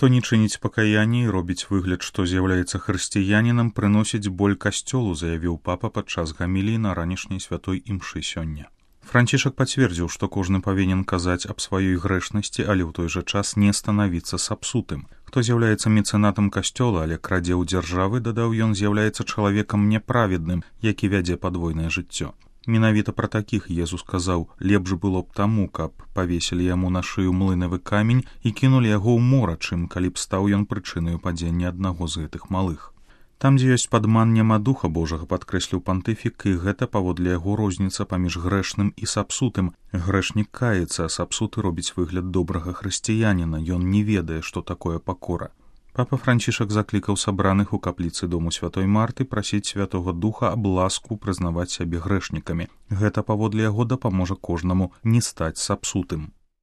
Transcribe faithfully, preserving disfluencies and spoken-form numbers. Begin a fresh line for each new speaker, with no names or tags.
Хто не чыніць пакаяння і робіць выгляд, што з'яўляецца хрысціянінам, прыносіць боль касцёлу, заявіў папа падчас гаміліі на ранішняй святой імшы сёння. Францішак пацвердзіў, што кожны павінен казаць аб сваёй грэшнасці, але ў той жа час не станавіцца сапсутым. Хто з'яўляецца мецэнатам касцёла, але крадзе ў дзяржавы, дадаў ён, з'яўляецца чалавекам няправедным, які вядзе падвойнае жыццё. Менавіта пра такіх Езус сказаў: лепш было б таму, каб павесілі яму на шыю млынавы камень і кінулі яго ў мора, чым калі б стаў ён прычынаю падзення аднаго з гэтых малых. Там, дзе ёсць падман, няма духа Божага, падкрэсліў пантыфік, і гэта паводле яго розніца паміж грэшным і сапсутым. Грэшнік каецца, а сапсуты робіць выгляд добрага хрысціяніна, ён не ведае, што такое пакора. Папа Францішак заклікаў сабраных у капліцы дому святой Марты прасіць святога духа аб ласку прызнаваць сябе грэшнікамі. Гэта паводле яго дапаможа кожнаму не стаць сапсутым.